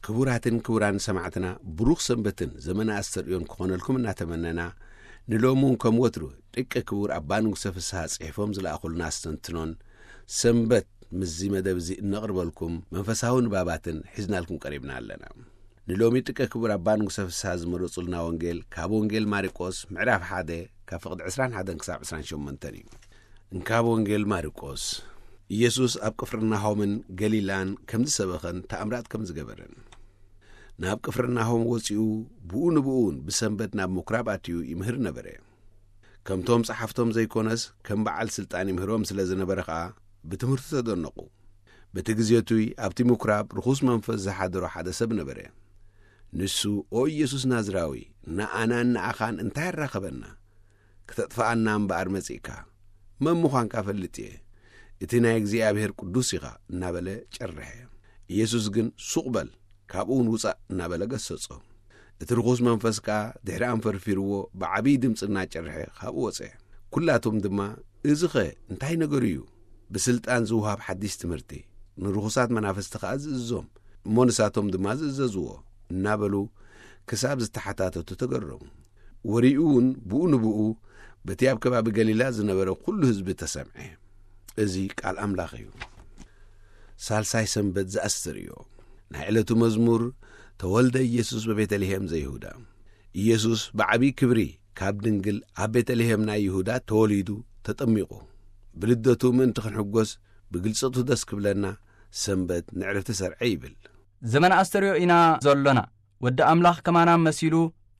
ክቡራትን ክቡራን ሰማዕትና፣ ብሩኽ ሰንበትን ዘመነ ኣስተርእዮን ክኾነልኩም እናተመነና፣ ንሎሚ እውን ከም ወትሩ ደቂ ክቡር ኣባ ንጉሰ ፍስሃ ጽሒፎም ዝለኣኹልና ኣስተንትኖን ሰንበት ምስዚ መደብ እዚ እነቕርበልኩም መንፈሳዊ ንባባትን ሒዝናልኩም ቀሪብና ኣለና። ንሎሚ ደቂ ክቡር ኣባ ንጉሰ ፍስሃ ዝመረጹልና ወንጌል ካብ ወንጌል ማርቆስ ምዕራፍ ሓደ ካብ ፍቕዲ ዕስራን ሓደን ክሳብ ዕስራን ሸሞንተን እዩ። እንካብ ወንጌል ማርቆስ። ኢየሱስ ኣብ ቅፍርናሆምን ገሊላን ከም ዝሰበኸን ተኣምራት ከም ዝገበረን። ናብ ቅፍርናሆም ወጺኡ ብኡ ንብኡ እውን ብሰንበት ናብ ምኩራብ ኣትዩ ይምህር ነበረ። ከምቶም ጸሓፍቶም ዘይኮነስ ከም በዓል ስልጣን ይምህሮም ስለ ዝነበረ ኸኣ ብትምህርቱ ተደነቑ። በቲ ግዜ እቱይ ኣብቲ ምኩራብ ርኹስ መንፈስ ዝሓደሮ ሓደ ሰብ ነበረ። ንሱ፣ "ኦ ኢየሱስ ናዝራዊ፣ ንኣናን ንኣኻን እንታይ ኣራኸበና? ክተጥፍኣና እምበኣር መጺእካ? መን ምዃንካ እፈልጥ እየ። እቲ ናይ እግዚኣብሔር ቅዱስ ኢኻ" እናበለ ጨርሐ። ኢየሱስ ግን፣ "ሱቕ በል፣ ካብኡ እውን ውጻእ" እናበለ ገሰጾ። እቲ ርኹስ መንፈስ ከኣ ድሕሪ ኣንፈርፊርዎ ብዓብዪ ድምጺ እናጨርሐ ካብኡ ወጸ። ኩላቶም ድማ፣ "እዚኸ እንታይ ነገሩ እዩ? ብስልጣን ዝውሃብ ሓድሽ ትምህርቲ፣ ንርኹሳት መናፍስቲ ከኣ ዝእዝዞም፣ እሞ ንሳቶም ድማ ዝእዘዝዎ" እናበሉ ክሳብ ዝተሓታተቱ ተገረሙ። ወሬኡ እውን ብኡ ንብኡ በቲ ኣብ ከባቢ ገሊላ ዝነበረ ኩሉ ህዝቢ ተሰምዐ። እዚ ቃል ኣምላኽ እዩ። ሳልሳይ ሰንበት ዘኣስተርእዮ። ናይ ዕለቱ መዝሙር፣ ተወልደ ኢየሱስ በቤተልሔም ዘይሁዳ። ኢየሱስ ብዓብዪ ክብሪ ካብ ድንግል ኣብ ቤተልሔም ናይ ይሁዳ ተወሊዱ፣ ተጠሚቑ። ብልደቱ ምእንቲ ክንሕጎስ፣ ብግልጸቱ ደስ ክብለና፣ ሰንበት ንዕረፍቲ ሰርዐ ይብል። ዘመን ኣስተርእዮ ኢና ዘሎና። ወዲ ኣምላኽ ከማና መሲሉ፣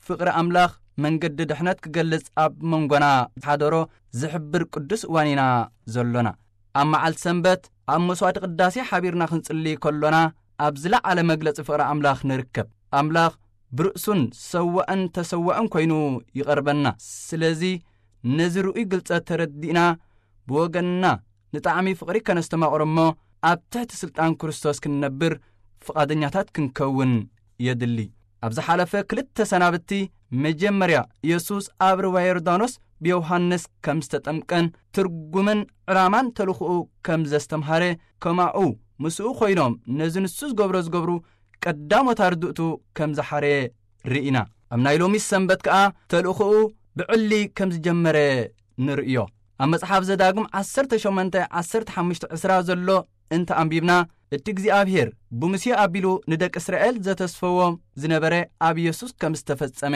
ፍቕሪ ኣምላኽ መንገዲ ድሕነት ክገልጽ ኣብ መንጎና ዝሓደሮ ዝሕብር ቅዱስ እዋን ኢና ዘሎና። ኣብ መዓልቲ ሰንበት ኣብ መስዋዕቲ ቅዳሴ ሓቢርና ክንጽሊ ከሎና፣ ኣብ ዝለዓለ መግለጺ ፍቕሪ ኣምላኽ ንርከብ። ኣምላኽ ብርእሱን ሰዋእን ተሰዋእን ኮይኑ ይቐርበና። ስለዚ ነዚ ርኡይ ግልጸት ተረዲእና፣ ብወገንና ንጣዕሚ ፍቕሪ ከነስተማቕሮ እሞ፣ ኣብ ትሕቲ ስልጣን ክርስቶስ ክንነብር ፍቓደኛታት ክንከውን የድሊ። ኣብ ዝሓለፈ ክልተ ሰናብቲ፣ መጀመርያ ኢየሱስ ኣብ ሩባ ዮርዳኖስ ብዮሃንስ ከም ዝተጠምቀን፣ ትርጉምን ዕላማን ተልእኾኡ ከም ዘስተምሃረ፣ ከማኡ ምስኡ ኮይኖም ነዚ ንሱ ዝገብሮ ዝገብሩ ቀዳሞት ኣርድእቱ ከም ዝሓረየ ርኢና። ኣብ ናይ ሎሚ ሰንበት ከኣ ተልእኾኡ ብዕሊ ከም ዝጀመረ ንርእዮ። ኣብ መጽሓፍ ዘዳግም ዓሰርተ ሸሞንተ፣ ዓሰርተ ሓሙሽተ፣ ዕስራ ዘሎ እንተ ኣንቢብና፣ እቲ እግዚኣብሔር ብሙሴ ኣቢሉ ንደቂ እስራኤል ዘተስፈዎም ዝነበረ ኣብ ኢየሱስ ከም ዝተፈጸመ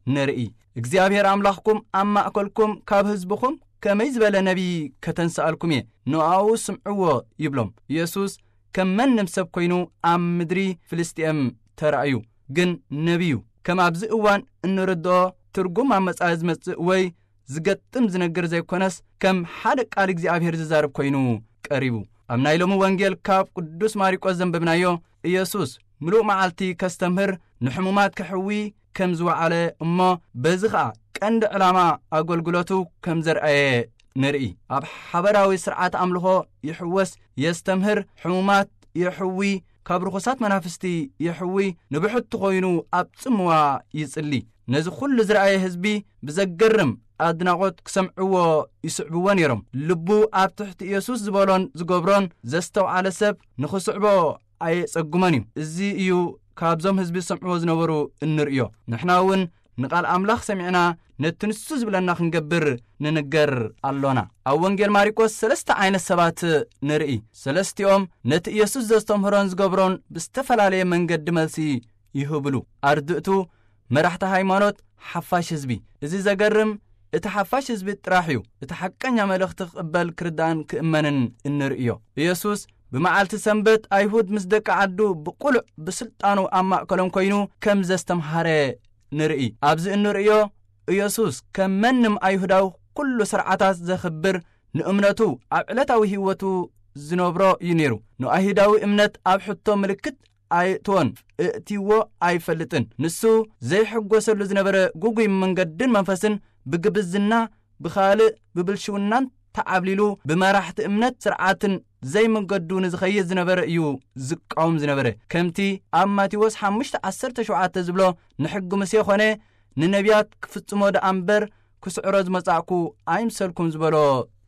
ንርኢ። እግዚኣብሔር ኣምላኽኩም ኣብ ማእከልኩም ካብ ህዝብኹም ከመይ ዝበለ ነቢይ ከተንስኣልኩም እየ፣ ንኣኡ ስምዕዎ ይብሎም። ኢየሱስ ከም መንም ሰብ ኮይኑ ኣብ ምድሪ ፍልስጥኤም ተራእዩ። ግን ነቢዩ ከም ኣብዚ እዋን እንርድኦ ትርጉም ኣብ መጻኢ ዝመጽእ ወይ ዝገጥም ዝነግር ዘይኮነስ፣ ከም ሓደ ቃል እግዚኣብሔር ዝዛረብ ኮይኑ ቀሪቡ። ኣብ ናይ ሎሚ ወንጌል ካብ ቅዱስ ማርቆስ ዘንበብናዮ፣ ኢየሱስ ምሉእ መዓልቲ ከስተምህር፣ ንሕሙማት ከሕዊ ከም ዝወዓለ እሞ፣ በዚ ኸኣ ቀንዲ ዕላማ ኣገልግሎቱ ከም ዘርኣየ ንርኢ። ኣብ ሓበራዊ ስርዓት ኣምልኾ ይሕወስ፣ የስተምህር፣ ሕሙማት የሕዊ፣ ካብ ርኹሳት መናፍስቲ የሕዊ፣ ንብሕቲ ኮይኑ ኣብ ጽምዋ ይጽሊ። ነዚ ኩሉ ዝረኣየ ህዝቢ ብዘገርም ኣድናቖት ክሰምዕዎ ይስዕብዎ ነይሮም። ልቡ ኣብ ትሕቲ ኢየሱስ ዝበሎን ዝገብሮን ዘስተውዓለ ሰብ ንኽስዕቦ ኣየጸግሞን እዩ። እዚ እዩ ካብዞም ህዝቢ ዝሰምዕዎ ዝነበሩ እንርእዮ። ንሕና እውን ንቓል ኣምላኽ ሰሚዕና ነቲ ንሱ ዝብለና ክንገብር ንንገር ኣሎና። ኣብ ወንጌል ማርቆስ ሰለስተ ዓይነት ሰባት ንርኢ። ሰለስቲኦም ነቲ ኢየሱስ ዘስተምህሮን ዝገብሮን ብዝተፈላለየ መንገዲ መልሲ ይህብሉ። ኣርድእቱ፣ መራሕቲ ሃይማኖት፣ ሓፋሽ ህዝቢ። እዚ ዘገርም፣ እቲ ሓፋሽ ህዝቢ ጥራሕ እዩ እቲ ሓቀኛ መልእኽቲ ክቕበል፣ ክርዳእን ክእመንን እንርእዮ። ኢየሱስ ብመዓልቲ ሰንበት ኣይሁድ ምስ ደቂ ዓዱ ብቕሉዕ ብስልጣኑ ኣብ ማእከሎም ኮይኑ ከም ዘስተምሃረ ንርኢ። ኣብዚ እንርእዮ፣ ኢየሱስ ከም መንም ኣይሁዳዊ ኩሉ ስርዓታት ዘኽብር፣ ንእምነቱ ኣብ ዕለታዊ ህይወቱ ዝነብሮ እዩ ነይሩ። ንኣይሁዳዊ እምነት ኣብ ሕቶ ምልክት ኣየእትዎን፣ እእትይዎ ኣይፈልጥን። ንሱ ዘይሕጎሰሉ ዝነበረ ግጉይ መንገድን መንፈስን ብግብዝና፣ ብኻልእ ብብልሽውናን ተዓብሊሉ፣ ብመራሕቲ እምነት ስርዓትን ዘይመንገዱ ንዝኸይድ ዝነበረ እዩ ዝቃወም ዝነበረ። ከምቲ ኣብ ማቴዎስ ሓሙሽተ ዓሰርተ ሸውዓተ ዝብሎ፣ ንሕጊ ሙሴ ኾነ ንነቢያት ክፍጽሞ ደኣ እምበር ክስዕሮ ዝመጻእኩ ኣይምሰልኩን ዝበሎ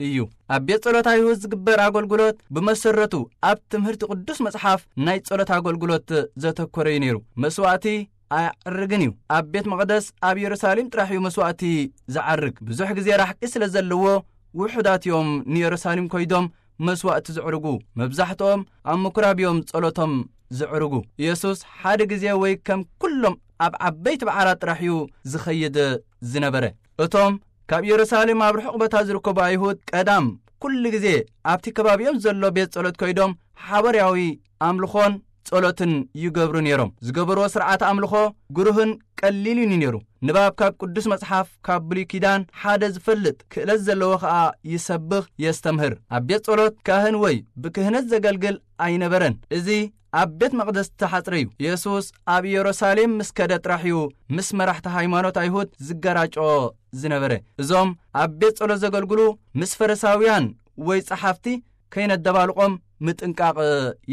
እዩ። ኣብ ቤት ጸሎት ኣይሁድ ዝግበር ኣገልግሎት ብመሰረቱ ኣብ ትምህርቲ ቅዱስ መጽሓፍ ናይ ጸሎት ኣገልግሎት ዘተኮረ እዩ ነይሩ። መስዋእቲ ኣያዕርግን እዩ። ኣብ ቤት መቕደስ ኣብ የሩሳሌም ጥራሕ እዩ መስዋእቲ ዝዓርግ። ብዙሕ ግዜ ራሕቂ ስለ ዘለዎ ውሑዳት እዮም ንየሩሳሌም ኮይዶም መስዋእቲ ዝዕርጉ። መብዛሕትኦም ኣብ ምኩራብ እዮም ጸሎቶም ዝዕርጉ። ኢየሱስ ሓደ ግዜ ወይ ከም ኩሎም ኣብ ዓበይቲ በዓላት ጥራሕ እዩ ዝኸይድ ዝነበረ። እቶም ካብ የሩሳሌም ኣብ ርሑቕ ቦታ ዝርከቡ ኣይሁድ ቀዳም ኩሉ ግዜ ኣብቲ ከባቢኦም ዘሎ ቤት ጸሎት ኮይዶም ሓበርያዊ ኣምልኾን ጸሎትን ይገብሩ ነይሮም። ዝገበርዎ ስርዓት ኣምልኾ ግሩህን ቀሊልን እዩ ነይሩ። ንባብ ካብ ቅዱስ መጽሓፍ ካብ ብሉይ ኪዳን ሓደ ዝፈልጥ ክእለት ዘለዎ ኸኣ ይሰብኽ የስተምህር። ኣብ ቤት ጸሎት ካህን ወይ ብክህነት ዘገልግል ኣይነበረን። እዚ ኣብ ቤት መቕደስ ዝተሓጽረ እዩ። ኢየሱስ ኣብ ኢየሩሳሌም ምስ ከደ ጥራሕ እዩ ምስ መራሕቲ ሃይማኖት ኣይሁድ ዝገራጮ ዝነበረ። እዞም ኣብ ቤት ጸሎት ዘገልግሉ ምስ ፈሪሳውያን ወይ ጸሓፍቲ ከይነደባልቖም ምጥንቃቕ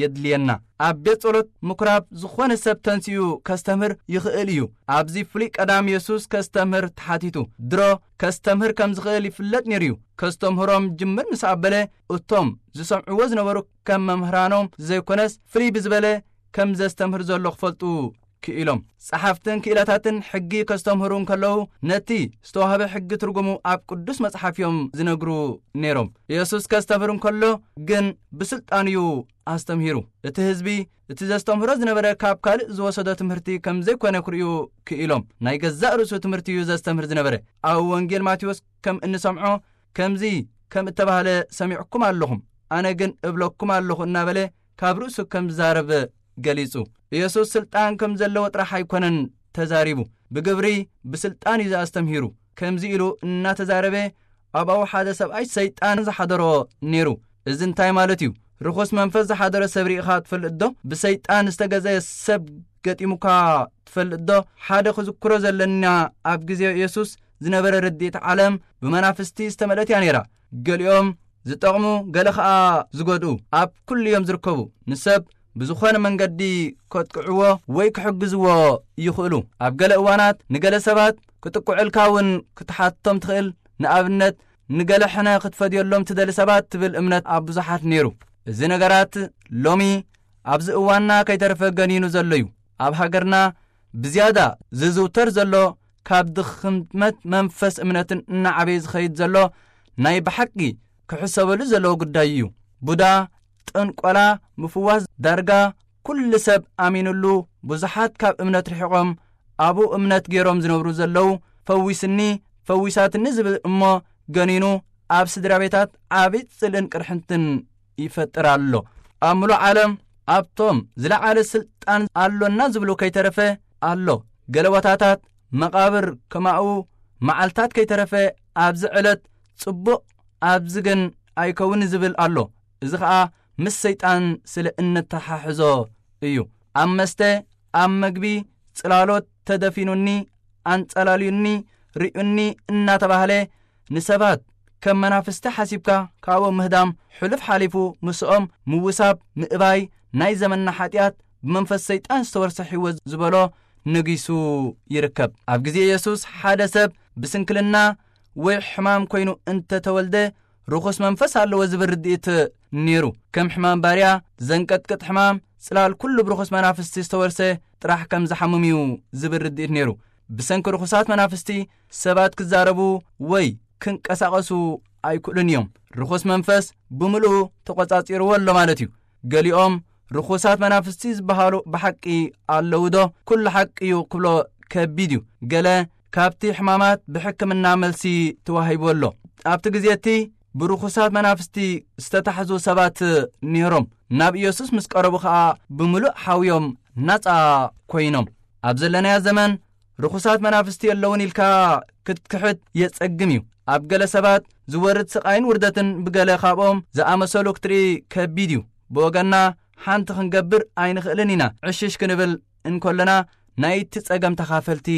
የድልየና። ኣብ ቤት ጸሎት ምኩራብ ዝኾነ ሰብ ተንሲኡ ከስተምህር ይኽእል እዩ። ኣብዚ ፍሉይ ቀዳም የሱስ ከስተምህር ተሓቲቱ። ድሮ ከስተምህር ከም ዝኽእል ይፍለጥ ነይሩ እዩ። ከስተምህሮም ጅምር ምስ ኣበለ እቶም ዝሰምዕዎ ዝነበሩ ከም መምህራኖም ዘይኮነስ ፍልይ ብዝበለ ከም ዘስተምህር ዘሎ ክፈልጡ ክኢሎም። ጸሓፍትን ክኢላታትን ሕጊ ከስተምህሩ እንከለዉ ነቲ ዝተዋህበ ሕጊ ትርጉሙ ኣብ ቅዱስ መጽሓፍ እዮም ዝነግሩ ነይሮም። ኢየሱስ ከስተምህር እንከሎ ግን ብስልጣን እዩ ኣስተምሂሩ። እቲ ህዝቢ እቲ ዘስተምህሮ ዝነበረ ካብ ካልእ ዝወሰዶ ትምህርቲ ከም ዘይኮነ ክርእዩ ክኢሎም። ናይ ገዛእ ርእሱ ትምህርቲ እዩ ዘስተምህር ዝነበረ። ኣብ ወንጌል ማቴዎስ ከም እንሰምዖ ከምዚ ከም እተባህለ ሰሚዕኩም ኣለኹም፣ ኣነ ግን እብለኩም ኣለኹ እናበለ ካብ ርእሱ ከም ዝዛረብ ገሊጹ። ኢየሱስ ስልጣን ከም ዘለዎ ጥራሕ ኣይኮነን ተዛሪቡ፣ ብግብሪ ብስልጣን እዩ ኣስተምሂሩ። ከምዚ ኢሉ እናተዛረበ ኣብኡ ሓደ ሰብኣይ ሰይጣን ዝሓደሮ ነይሩ። እዚ እንታይ ማለት እዩ? ርኹስ መንፈስ ዝሓደሮ ሰብ ርኢኻ ትፈልጥ ዶ? ብሰይጣን ዝተገዘየ ሰብ ገጢሙካ ትፈልጥ ዶ? ሓደ ክዝክሮ ዘለና ኣብ ግዜ ኢየሱስ ዝነበረ ርድኢት ዓለም ብመናፍስቲ ዝተመልአት እያ ነይራ። ገሊኦም ዝጠቕሙ ገለ ኸኣ ዝጎድኡ ኣብ ኩሉ እዮም ዝርከቡ። ንሰብ ብዝኾነ መንገዲ ከጥቅዕዎ ወይ ክሕግዝዎ ይኽእሉ። ኣብ ገለ እዋናት ንገለ ሰባት ክጥቅዑልካ እውን ክትሓቶም ትኽእል። ንኣብነት ንገለ ሕነ ክትፈድየሎም ትደሊ ሰባት ትብል እምነት ኣብ ብዙሓት ነይሩ። እዚ ነገራት ሎሚ ኣብዚ እዋንና ከይተረፈ ገኒኑ ዘሎ እዩ። ኣብ ሃገርና ብዝያዳ ዝዝውተር ዘሎ ካብ ድኽመት መንፈስ እምነትን እናዓበየ ዝኸይድ ዘሎ ናይ ብሓቂ ክሕሰበሉ ዘለዎ ጉዳይ እዩ። ቡዳ፣ ጥንቆላ፣ ምፍዋስ ዳርጋ ኩሉ ሰብ ኣሚኑሉ ብዙሓት ካብ እምነት ርሒቖም ኣብኡ እምነት ገይሮም ዝነብሩ ዘለዉ ፈዊስኒ ፈዊሳትኒ ዝብል እሞ ገኒኑ ኣብ ስድራ ቤታት ዓቢ ጽልእን ቅርሕንትን ይፈጥር ኣሎ። ኣብ ምሉእ ዓለም ኣብቶም ዝለዓለ ስልጣን ኣሎና ዝብሉ ከይተረፈ ኣሎ። ገለ ቦታታት መቓብር ከማኡ መዓልታት ከይተረፈ ኣብዚ ዕለት ጽቡቕ ኣብዚ ግን ኣይከውን ዝብል ኣሎ። እዚ ኸኣ ምስ ሰይጣን ስለ እነተሓሕዞ እዩ። ኣብ መስተ፣ ኣብ መግቢ፣ ጽላሎት ተደፊኑኒ፣ ኣንጸላልዩኒ፣ ርእዩኒ እናተባህለ ንሰባት ከም መናፍስቲ ሓሲብካ ካብኦም ምህዳም ሕሉፍ ሓሊፉ ምስኦም ምውሳብ ምእባይ ናይ ዘመንና ሓጢኣት ብመንፈስ ሰይጣን ዝተወርሰ ሕይወት ዝበሎ ነጊሱ ይርከብ። ኣብ ግዜ ኢየሱስ ሓደ ሰብ ብስንክልና ወይ ሕማም ኮይኑ እንተተወልደ ርኹስ መንፈስ ኣለዎ ዝብል ርድኢት ነይሩ። ከም ሕማም ባርያ፣ ዘንቀጥቅጥ ሕማም፣ ጽላል ኩሉ ብርኹስ መናፍስቲ ዝተወርሰ ጥራሕ ከም ዝሓምም እዩ ዝብል ርድኢት ነይሩ። ብሰንኪ ርኹሳት መናፍስቲ ሰባት ክዛረቡ ወይ ክንቀሳቐሱ ኣይክእሉን እዮም። ርኹስ መንፈስ ብምልኡ ተቖጻጺርዎ ኣሎ ማለት እዩ። ገሊኦም ርኹሳት መናፍስቲ ዝበሃሉ ብሓቂ ኣለዉ ዶ? ኩሉ ሓቂ እዩ ክብሎ ከቢድ እዩ። ገለ ካብቲ ሕማማት ብሕክምና መልሲ ተዋሂቡ ኣሎ። ኣብቲ ግዜ እቲ ብርኹሳት መናፍስቲ ዝተታሕዙ ሰባት ነይሮም። ናብ ኢየሱስ ምስ ቀረቡ ኸኣ ብምሉእ ሓውዮም ናጻ ኮይኖም። ኣብ ዘለናዮ ዘመን ርኹሳት መናፍስቲ የለውን ኢልካ ክትክሕድ የጸግም እዩ። ኣብ ገለ ሰባት ዝወርድ ስቓይን ውርደትን ብገለ ካብኦም ዝኣመሰሉ ክትርኢ ከቢድ እዩ። ብወገንና ሓንቲ ክንገብር ኣይንኽእልን ኢና። ዕሽሽ ክንብል እንከለና ናይቲ ጸገም ተኻፈልቲ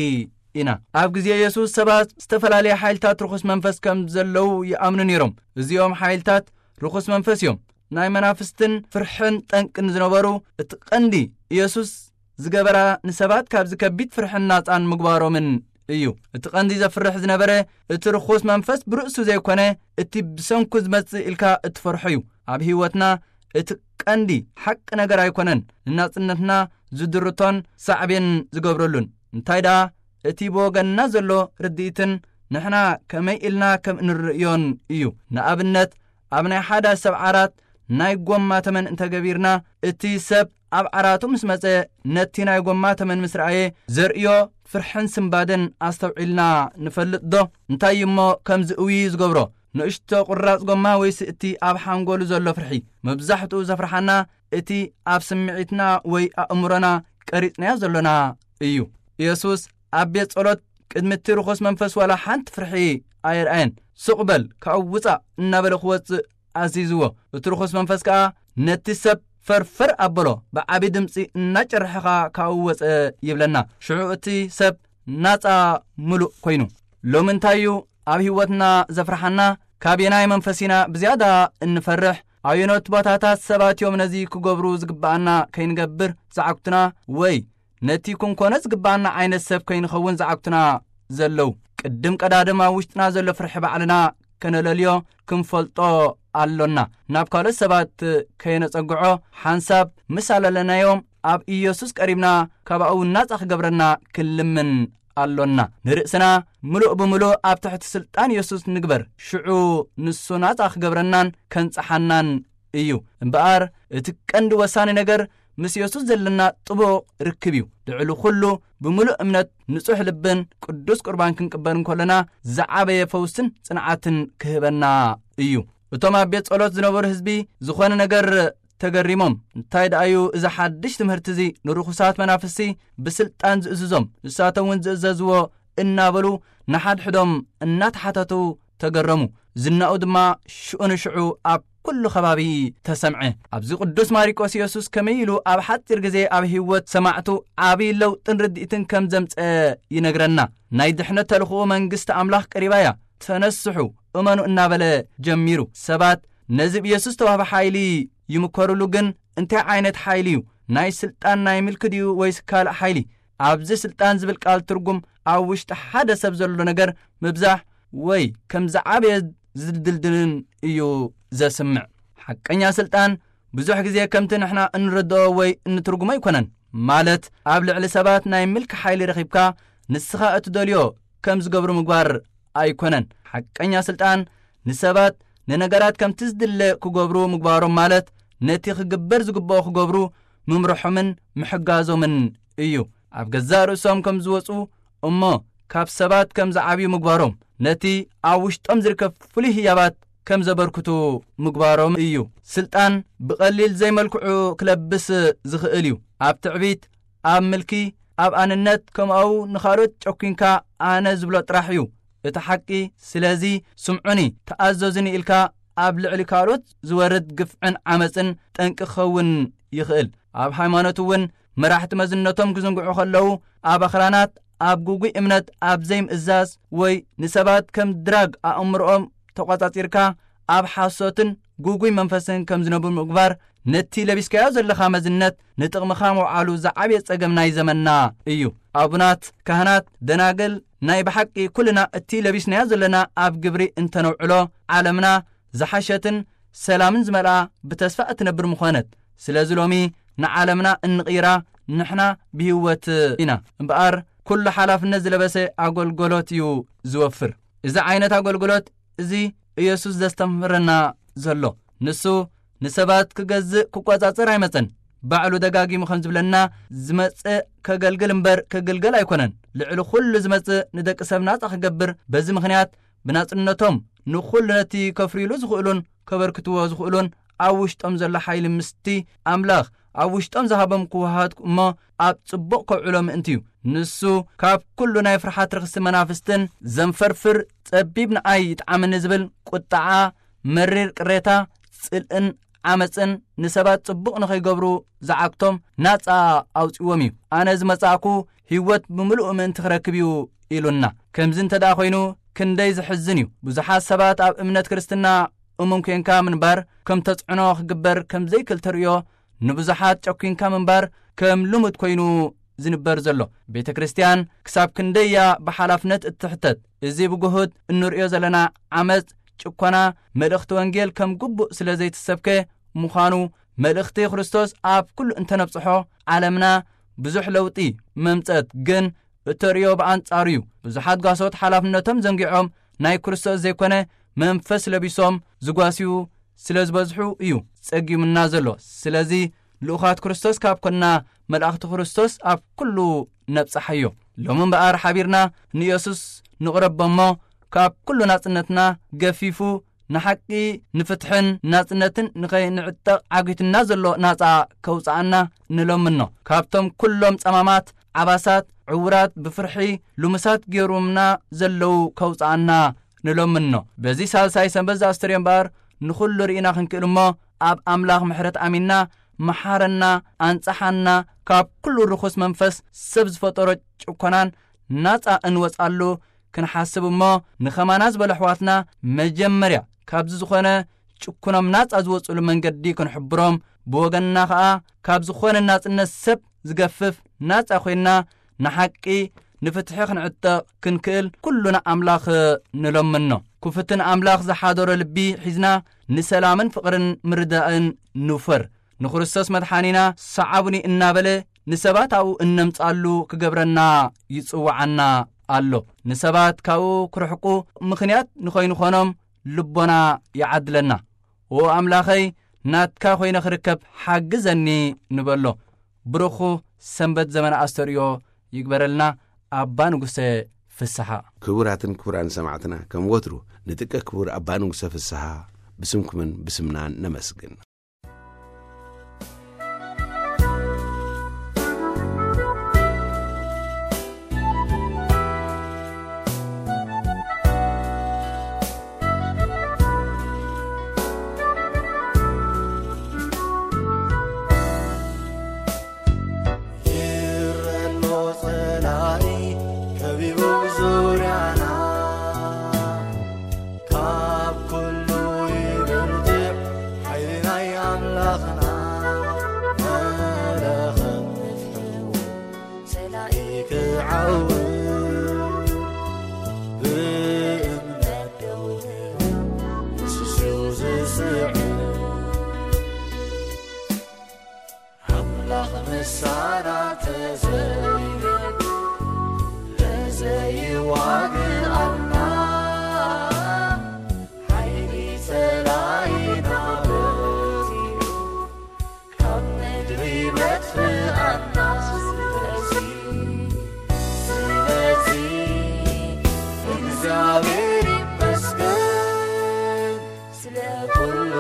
ኢና። ኣብ ግዜ የሱስ ሰባት ዝተፈላለየ ሓይልታት ርኹስ መንፈስ ከም ዘለዉ ይኣምኑ ነይሮም። እዚኦም ሓይልታት ርኹስ መንፈስ እዮም። ናይ መናፍስትን ፍርሕን ጠንቅን ዝነበሩ እቲ ቀንዲ ኢየሱስ ዝገበራ ንሰባት ካብዚ ከቢድ ፍርሕን ናጻን ምግባሮምን እዩ። እቲ ቀንዲ ዘፍርሕ ዝነበረ እቲ ርኹስ መንፈስ ብርእሱ ዘይኮነ እቲ ብሰንኩ ዝመጽእ ኢልካ እትፈርሖ እዩ። ኣብ ህይወትና እቲ ቀንዲ ሓቂ ነገር ኣይኮነን ንናጽነትና ዝድርቶን ሳዕቤን ዝገብረሉን፣ እንታይ ደኣ እቲ ብወገንና ዘሎ ርድኢትን ንሕና ከመይ ኢልና ከም እንርእዮን እዩ። ንኣብነት፣ ኣብ ናይ ሓደ ሰብ ዓራት ናይ ጎማ ተመን እንተገቢርና፣ እቲ ሰብ ኣብ ዓራቱ ምስ መጸ ነቲ ናይ ጎማ ተመን ምስ ረኣየ ዘርእዮ ፍርሕን ስንባደን ኣስተውዒልና ንፈልጥ ዶ? እንታይ እሞ ከምዚ እውይ ዝገብሮ? ንእሽቶ ቁራጽ ጎማ ወይስ እቲ ኣብ ሓንጎሉ ዘሎ ፍርሒ? መብዛሕትኡ ዘፍርሓና እቲ ኣብ ስምዒትና ወይ ኣእምሮና ቀሪጽናዮ ዘሎና እዩ። ኢየሱስ ኣብ ቤት ጸሎት ቅድሚ እቲ ርኹስ መንፈስ ዋላ ሓንቲ ፍርሒ ኣየርኣየን። "ስቕ በል፣ ካብኡ ውጻእ" እናበለ ክወጽእ ኣዚዝዎ። እቲ ርኹስ መንፈስ ከኣ ነቲ ሰብ ፈርፈር ኣበሎ፣ ብዓቢ ድምጺ እናጨርሐ ከኣ ካብኡ ወጸ ይብለና። ሽዑ እቲ ሰብ ናጻ ምሉእ ኮይኑ። ሎሚ እንታይ እዩ ኣብ ህይወትና ዘፍርሓና? ካበየናይ መንፈስ ኢና ብዝያዳ እንፈርሕ? ኣየኖት ቦታታት ሰባት እዮም ነዚ ክገብሩ ዝግብኣና ከይንገብር ዝዓግቱና? ወይ ነቲ ክንኮኖ ዝግብኣና ዓይነት ሰብ ከይንኸውን ዝዓግቱና ዘለዉ? ቅድም ቀዳድም ኣብ ውሽጥና ዘሎ ፍርሒ ባዕልና ከነለልዮ ክንፈልጦ ኣሎና። ናብ ካልኦት ሰባት ከየነጸግዖ ሓንሳብ ምስ ኣለለናዮም ኣብ ኢየሱስ ቀሪብና ካብ ኣብኡ ናጻ ክገብረና ክንልምን ኣሎና። ንርእስና ምሉእ ብምሉእ ኣብ ትሕቲ ስልጣን የሱስ ንግበር። ሽዑ ንሱ ናጻ ክገብረናን ከንጽሓናን እዩ። እምበኣር እቲ ቀንዲ ወሳኒ ነገር ምስ የሱስ ዘለና ጥቡቕ ርክብ እዩ። ልዕሊ ኩሉ ብምሉእ እምነት ንጹሕ ልብን ቅዱስ ቁርባን ክንቅበል እንከለና ዝዓበየ ፈውስን ጽንዓትን ክህበና እዩ። እቶም ኣብ ቤት ጸሎት ዝነበሩ ህዝቢ ዝኾነ ነገር ተገሪሞም፣ "እንታይ ደኣዩ እዚ ሓድሽ ትምህርቲ እዚ ንርኹሳት መናፍስቲ ብስልጣን ዝእዝዞም? ንሳቶም እውን ዝእዘዝዎ" እናበሉ ንሓድሕዶም እናተሓተቱ ተገረሙ። ዝናኡ ድማ ሽዑ ንሽዑ ኣብ ኩሉ ከባቢ ተሰምዐ። ኣብዚ ቅዱስ ማሪቆስ የሱስ ከመይ ኢሉ ኣብ ሓጺር ግዜ ኣብ ህይወት ሰማዕቱ ዓቢ ለውጥን ርድኢትን ከም ዘምጸ ይነግረና። ናይ ድሕነት ተልእኾኡ መንግስቲ ኣምላኽ ቀሪባ እያ፣ ተነስሑ፣ እመኑ እናበለ ጀሚሩ። ሰባት ነዚ ብየሱስ ዝተዋህበ ሓይሊ ይምከሩሉ፣ ግን እንታይ ዓይነት ሓይሊ እዩ? ናይ ስልጣን ናይ ምልኪ ድዩ ወይስ ካልእ ሓይሊ? ኣብዚ ስልጣን ዝብል ቃል ትርጉም ኣብ ውሽጢ ሓደ ሰብ ዘሎ ነገር ምብዛሕ ወይ ከም ዝዓበየ ዝድልድልን እዩ ዘስምዕ። ሓቀኛ ስልጣን ብዙሕ ግዜ ከምቲ ንሕና እንርድኦ ወይ እንትርጉሞ ኣይኮነን። ማለት ኣብ ልዕሊ ሰባት ናይ ምልኪ ሓይሊ ረኺብካ ንስኻ እትደልዮ ከም ዝገብሩ ምግባር ኣይኮነን። ሓቀኛ ስልጣን ንሰባት ንነገራት ከምቲ ዝድለ ክገብሩ ምግባሮም ማለት ነቲ ክግበር ዝግብኦ ክገብሩ ምምርሖምን ምሕጋዞምን እዩ። ኣብ ገዛእ ርእሶም ከም ዝወጹ እሞ ካብ ሰባት ከም ዝዓብዩ ምግባሮም ነቲ ኣብ ውሽጦም ዝርከብ ፍሉይ ህያባት ከም ዘበርክቱ ምግባሮም እዩ። ስልጣን ብቐሊል ዘይመልክዑ ክለብስ ዝኽእል እዩ። ኣብ ትዕቢት፣ ኣብ ምልኪ፣ ኣብ ኣንነት፣ ከምኡ ንኻልኦት ጨኲንካ ኣነ ዝብሎ ጥራሕ እዩ እቲ ሓቂ። ስለዚ ስምዑኒ፣ ተኣዘዙኒ ኢልካ ኣብ ልዕሊ ካልኦት ዝወርድ ግፍዕን ዓመጽን ጠንቂ ክኸውን ይኽእል። ኣብ ሃይማኖት እውን መራሕቲ መዝነቶም ክዝንግዑ ከለዉ ኣብ ኣኽራናት፣ ኣብ ግጉይ እምነት፣ ኣብ ዘይምእዛዝ ወይ ንሰባት ከም ድራግ ኣእምሮኦም ተቖጻጺርካ ኣብ ሓሶትን ግጉይ መንፈስን ከም ዝነብሩ ምግባር ነቲ ለቢስካዮ ዘለኻ መዝነት ንጥቕምኻ ምውዓሉ ዝዓብየ ጸገም ናይ ዘመንና እዩ። ኣቡናት፣ ካህናት፣ ደናግል፣ ናይ ብሓቂ ኩልና እቲ ለቢስናዮ ዘለና ኣብ ግብሪ እንተነውዕሎ ዓለምና ዝሓሸትን ሰላምን ዝመልኣ ብተስፋ እትነብር ምኾነት። ስለዚ ሎሚ ንዓለምና እንቕይራ ንሕና ብህይወት ኢና። እምበኣር ኩሉ ሓላፍነት ዝለበሰ ኣገልግሎት እዩ ዝወፍር። እዚ ዓይነት ኣገልግሎት እዚ ኢየሱስ ዘስተምህረና ዘሎ። ንሱ ንሰባት ክገዝእ ክቆጻጸር ኣይመጸን። ባዕሉ ደጋጊሙ ከም ዝብለና ዝመጽእ ከገልግል እምበር ክግልገል ኣይኮነን። ልዕሊ ኩሉ ዝመጽእ ንደቂ ሰብ ናጻ ክገብር፣ በዚ ምኽንያት ብናጽነቶም ንኹሉ ነቲ ከፍርዩሉ ዝኽእሉን ከበርክትዎ ዝኽእሉን ኣብ ውሽጦም ዘሎ ሓይሊ ምስቲ ኣምላኽ ኣብ ውሽጦም ዝሃቦም ክወሃሃድ እሞ ኣብ ጽቡቕ ከውዕሎ ምእንቲ እዩ። ንሱ ካብ ኩሉ ናይ ፍርሓት ርኽሲ መናፍስትን ዘንፈርፍር ጸቢብ ንኣይ ይጥዓመኒ ዝብል ቁጥዓ፣ መሪር ቅሬታ፣ ጽልእን ዓመጽን ንሰባት ጽቡቕ ንኸይገብሩ ዝዓግቶም ናጻ ኣውጺዎም እዩ። ኣነ ዝመጻእኩ ህይወት ብምሉኡ ምእንቲ ክረክብ እዩ ኢሉና። ከምዚ እንተ ደኣ ኮይኑ ክንደይ ዝሕዝን እዩ። ብዙሓት ሰባት ኣብ እምነት ክርስትና እሙን ኮንካ ምንባር ከም ተጽዕኖ ክግበር ከም ዘይክእል ተርእዮ፣ ንብዙሓት ጨኲንካ ምንባር ከም ልሙድ ኮይኑ ዝንበር ዘሎ። ቤተ ክርስቲያን ክሳብ ክንደያ ብሓላፍነት እትሕተት። እዚ ብግሁድ እንርእዮ ዘለና ዓመጽ፣ ጭኮና፣ መልእኽቲ ወንጌል ከም ግቡእ ስለ ዘይትሰብከ ምዃኑ፣ መልእኽቲ ክርስቶስ ኣብ ኩሉ እንተነብጽሖ፣ ዓለምና ብዙሕ ለውጢ መምጸት። ግን እተርእዮ ብኣንጻሩ እዩ። ብዙሓት ጓሶት ሓላፍነቶም ዘንጊዖም ናይ ክርስቶስ ዘይኮነ መንፈስ ለቢሶም ዝጓስዩ ስለ ዝበዝሑ እዩ ጸጊሙና ዘሎ። ስለዚ ልኡኻት ክርስቶስ ካብ ኮንና፣ መላእኽቲ ክርስቶስ ኣብ ኩሉ ነብጽሓዮ። ሎሚ እምበኣር ሓቢርና ንየሱስ ንቕረቦ እሞ፣ ካብ ኩሉ ናጽነትና ገፊፉ ንሓቂ፣ ንፍትሕን ናጽነትን ንኸይንዕጠቕ ዓጊቱና ዘሎ ናጻ ከውጽኣና ንለምኖ። ካብቶም ኩሎም ጸማማት ዓባሳት፣ ዕውራት፣ ብፍርሒ ልሙሳት ገይሩምና ዘለዉ ከውጽኣና ንለምኖ። በዚ ሳልሳይ ሰንበት ዘኣስተርዮ እምበኣር ንኹሉ ርኢና ክንክእል እሞ፣ ኣብ ኣምላኽ ምሕረት ኣሚንና፣ መሓረና፣ ኣንጽሓና፣ ካብ ኩሉ ርኹስ መንፈስ ሰብ ዝፈጠሮ ጭኮናን ናጻ እንወጻሉ ክንሓስብ እሞ፣ ንኸማና ዝበሉ ኣሕዋትና መጀመርያ ካብዚ ዝኾነ ጭኩኖም ናጻ ዝወጽሉ መንገዲ ክንሕብሮም፣ ብወገንና ኸኣ ካብ ዝኾነ ናጽነት ሰብ ዝገፍፍ ናጻ ኮይንና ንሓቂ፣ ንፍትሒ ክንዕጠቕ ክንክእል ኩሉና ኣምላኽ ንለምኖ። ክፉትን ኣምላኽ ዝሓደሮ ልቢ ሒዝና ንሰላምን ፍቕርን ምርዳእን ንውፈር። ንክርስቶስ መድሓኒና ሰዓቡኒ እናበለ ንሰባት ኣብኡ እነምጻሉ ክገብረና ይጽውዓና ኣሎ። ንሰባት ካብኡ ክርሕቁ ምኽንያት ንኸይንኾኖም ልቦና ይዓድለና። "ኦ ኣምላኸይ፣ ናትካ ኮይነ ክርከብ ሓግዘኒ" ንበሎ። ብሩኹ ሰንበት ዘመነ ኣስተርእዮ ይግበረልና። ኣባ ንጉሰ ፍስሓ። ክቡራትን ክቡራን ሰማዕትና፣ ከም ወትሩ ንጥቀ ክቡር ኣባ ንጉሰ ፍስሓ ብስምኩምን ብስምናን ነመስግን። ይረሎ ጸላኢ ከቢቡ ዙርያና፣ ካብ ኩሉ ይብርትዕ ሓይሊ ናይ ኣምላኽና። መለኸት ንፍሕው ጸላኢ ክዓው፣ ብእምነት ደው ንስሱ ዝስዕር። ኣምላኽ ምሳና ተዘይለ ለዘይዋግኣና፣ ሓይሊ ጸላኢና በዚሑ ካብ ምድሪ በትኣና። ስለዚ፣ ስለዚ እግዚኣብሔር ይመስገን ስለ ኩሉ